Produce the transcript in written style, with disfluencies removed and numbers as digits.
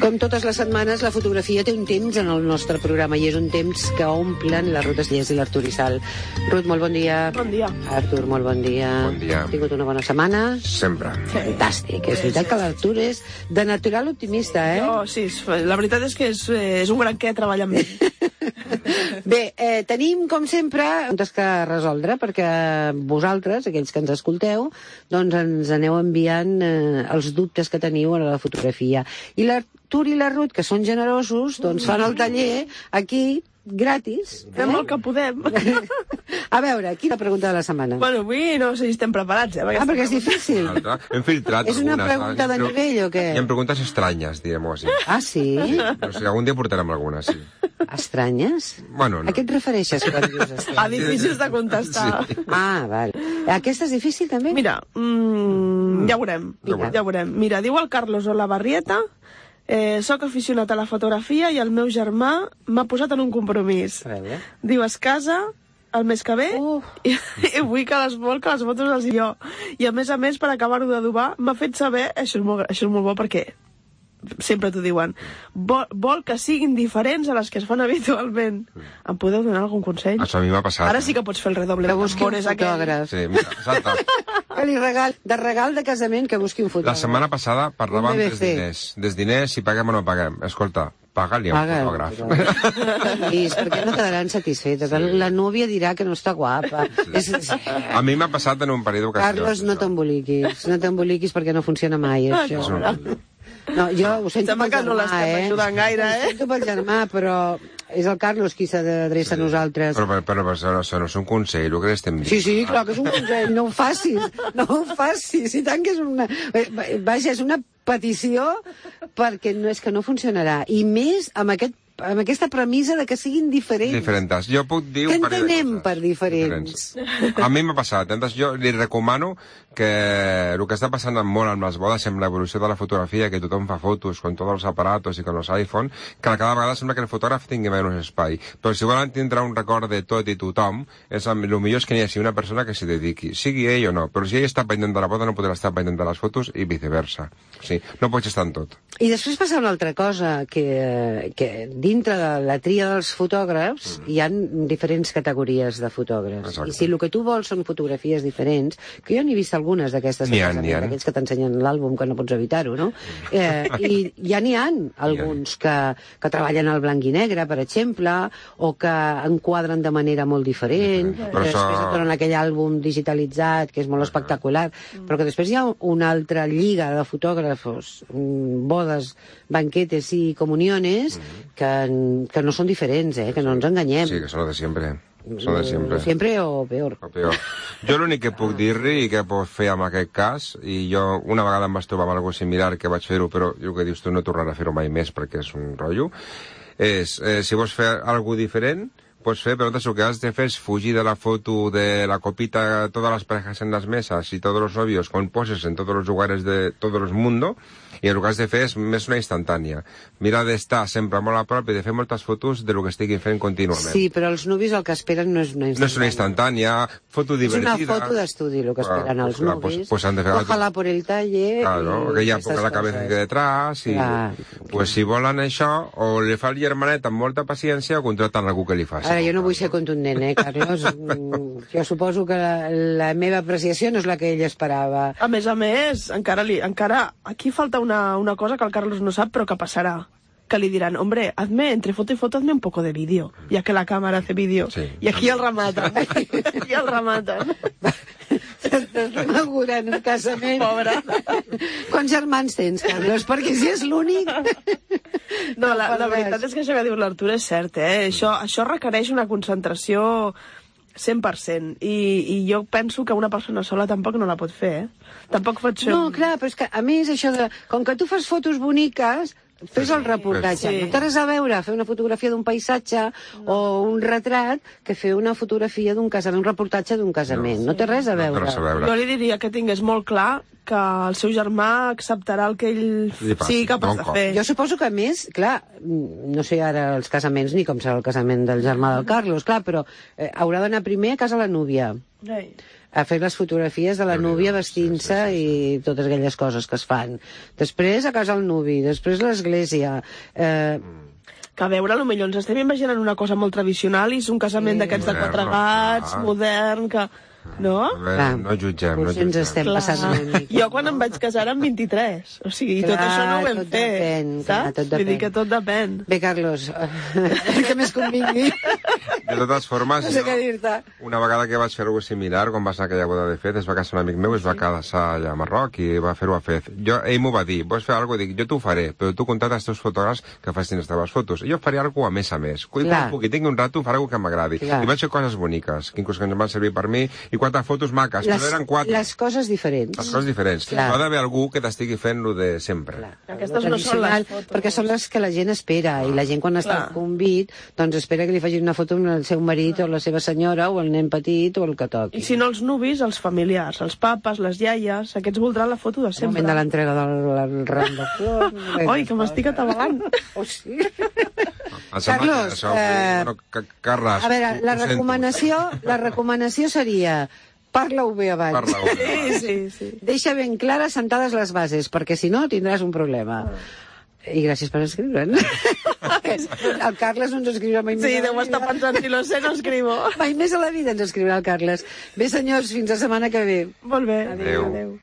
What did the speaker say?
Com totes les setmanes, la fotografia té un temps en el nostre programa i és un temps que omplen la Ruth Estellés i l'Artur Isal. Ruth, molt bon dia. Bon dia. Artur, molt bon dia. Bon dia. Has tingut una bona setmana? Sempre. Fantàstic. És veritat que l'Artur és de natural optimista, eh? Oh, sí, la veritat és que és un gran què treballar amb ell. Bé, tenim, com sempre, preguntes que resoldre, perquè vosaltres, aquells que ens escolteu, doncs ens aneu enviant els dubtes que teniu a la fotografia. I l'Artur i la Ruth, que són generosos, doncs fan el taller aquí, gratis. Fem el que podem. A veure, quina pregunta de la setmana? Bueno, avui no sé si estem preparats, perquè és difícil. Hem filtrat És una algunes, pregunta de nivell o què? Hi ha preguntes estranyes, direm-ho així. Ah, sí? No sé, algun dia portarem algunes, sí. Estranyes? Bueno, no. A què et refereixes quan dius estranyes? A difícils de contestar. Sí. Ah, val. Aquesta és difícil, també? Mira, ja veurem. Ja veurem. Mira, diu el Carlos Olavarrieta: soc aficionat a la fotografia i el meu germà m'ha posat en un compromís. Diu, es casa el mes que ve i vull que les fotos les jo. I a més, per acabar-ho d'adobar, m'ha fet saber, això és molt bo perquè sempre t'ho diuen, vol que siguin diferents a les que es fan habitualment. Em podeu donar algun consell? Això a mi m'ha passat. Ara sí que pots fer el redoble. Que busqui un fotògraf. Sí, mira, exacte. Que li regal de casament que busqui un fotògraf. La setmana passada parlàvem dels diners, si paguem o no paguem. Escolta, paga-li un fotògraf. Perquè no quedaran satisfetes. La núvia dirà que no està guapa. A mi m'ha passat en un parell d'ocasions. Carlos, no t'emboliquis perquè no funciona mai, això. No, jo ho sento pel germà, no l'estem ajudant gaire, Ho sento pel germà, però és el Carlos qui s'ha d'adreçar a nosaltres. Però això no és un consell, el que estem dient. Sí, clar que és un consell, no ho facis, i tant que és una... Vaja, és una petició perquè no és que no funcionarà, i més amb aquesta premissa de que siguin diferents. Diferents. Jo puc dir... Què entenem per diferents? A mi m'ha passat. Jo li recomano que el que està passant molt amb les bodes, amb l'evolució de la fotografia, que tothom fa fotos con tots els aparatos i con els iPhone, que cada vegada sembla que el fotògraf tingui menys espai. Però si volen tindre un record de tot i tothom, el millor és que n'hi hagi una persona que s'hi dediqui, sigui ell o no. Però si ell està pendent de la boda, no podrà estar pendent de les fotos i viceversa. Sí, no pots estar en tot. I després passa una altra cosa, que dintre de la tria dels fotògrafs hi ha diferents categories de fotògrafs. Exacte. I si el que tu vols són fotografies diferents, que jo n'he vist algunes d'aquestes, d'aquells que t'ensenyen l'àlbum, que no pots evitar-ho, no? I ja n'hi ha alguns que treballen al blanc i negre, per exemple, o que enquadren de manera molt diferent, després et donen aquell àlbum digitalitzat, que és molt espectacular, però que després hi ha una altra lliga de fotògrafos, bodes, banquetes i comuniones, que no són diferents, que no ens enganyem. Sí, que són de sempre. Són de sempre. Sempre o peor. Jo l'únic que puc dir-li i que puc fer en aquest cas, i jo una vegada em vaig trobar amb alguna cosa similar que vaig fer-ho, però el que dius tu no tornarà a fer-ho mai més perquè és un rotllo, és, si vols fer alguna diferent, pots fer, però el que has de fer és fugir de la foto de la copita, todas las parejas en las mesas y todos los novios con poses en todos los lugares de todo el mundo, i el que has de fer és més una instantània. Mira d'estar sempre molt a prop i de fer moltes fotos de lo que estiguin fent contínuament. Sí, però els nuvis el que esperen no és una instantània. No és una instantània, foto divertida. És una foto d'estudi, el que esperen els nuvis. Pues han de fer... Ojalá por el taller... Claro, que ja poca la cabeza que detrás, i... Pues si volen això, o li fa el germanet amb molta paciència o contraten algú que li faci. Ara, jo no vull ser contundent, Carlos? Jo suposo que la meva apreciació no és la que ell esperava. A més, encara aquí falta una cosa que el Carlos no sap, però que passarà. Que li diran, hombre, entre foto y foto hazme un poco de vídeo, ya que la cámara hace vídeo. Sí. I aquí el rematan. T'estem augurant un casament. Pobre. Quants germans tens, Carlos? Perquè si és l'únic... No, la veritat és que això que diu l'Artur és cert, Això requereix una concentració 100%. I jo penso que una persona sola tampoc no la pot fer, Tampoc pot ser... No, clar, però és que, a més, això de... Com que tu fas fotos boniques, fes el reportatge. No té res a veure fer una fotografia d'un paisatge o un retrat que fer una fotografia d'un casament, un reportatge d'un casament. No té res a veure. Jo li diria que tingués molt clar que el seu germà acceptarà el que ell sigui capaç de fer. Jo suposo que, a més, clar, no sé ara els casaments ni com serà el casament del germà del Carlos, clar, però haurà d'anar primer a casa la núvia. a fer les fotografies de la núvia vestint-se i totes aquelles coses que es fan. Després a casa el nuvi, després l'església... Que a veure, potser ens estem imaginant una cosa molt tradicional i és un casament d'aquests de 4 gats, modern, que... No? No jutgem, no jutgem. Ens estem passant una mica. Jo quan em vaig casar era amb 23, o sigui, tot això no ho vam fer, saps? Vull dir que tot depèn. Bé, Carlos, el que més convingui. De totes formes, no sé què dir-te. Una vegada que vaig fer alguna similar, quan va ser aquella boda de Fez, es va casar un amic meu, es va casar allà a Marroc i va fer-ho a Fez. Ell m'ho va dir, vols fer alguna cosa? Dic, jo t'ho faré, però tu contacta els teus fotògrafs que facin les teves fotos. Jo faré alguna cosa a més. Quan pugui, tingui un rato, faré alguna cosa que m'agradi. I vaig fer coses boniques, que inclús que ens van servir per mi, i 4 fotos maques, però eren 4. Les coses diferents. Les coses diferents. No ha d'haver algú que t'estigui fent lo de sempre. Aquestes no són les fotos. Perquè són les que la gent espera, i la gent quan està al convit, doncs espera que li facin una foto amb el seu marit o la seva senyora o el nen petit o el que toqui. I si no els nuvis, els familiars, els papes, les iaies, aquests voldran la foto de sempre. El moment de l'entrega del ram de flors... Oi, que m'estic atabalant. Oh, sí. Carlos, a veure, la recomanació seria... Parla-ho bé abans. Sí. Deixa ben clares sentades les bases, perquè si no tindràs un problema. I gràcies per escriure'n. El Carles no ens escriurà mai més. Sí, deu estar pensant, si lo sé, no escrivo. Mai més a la vida ens escriurà el Carles. Bé, senyors, fins la setmana que ve. Molt bé. Adéu.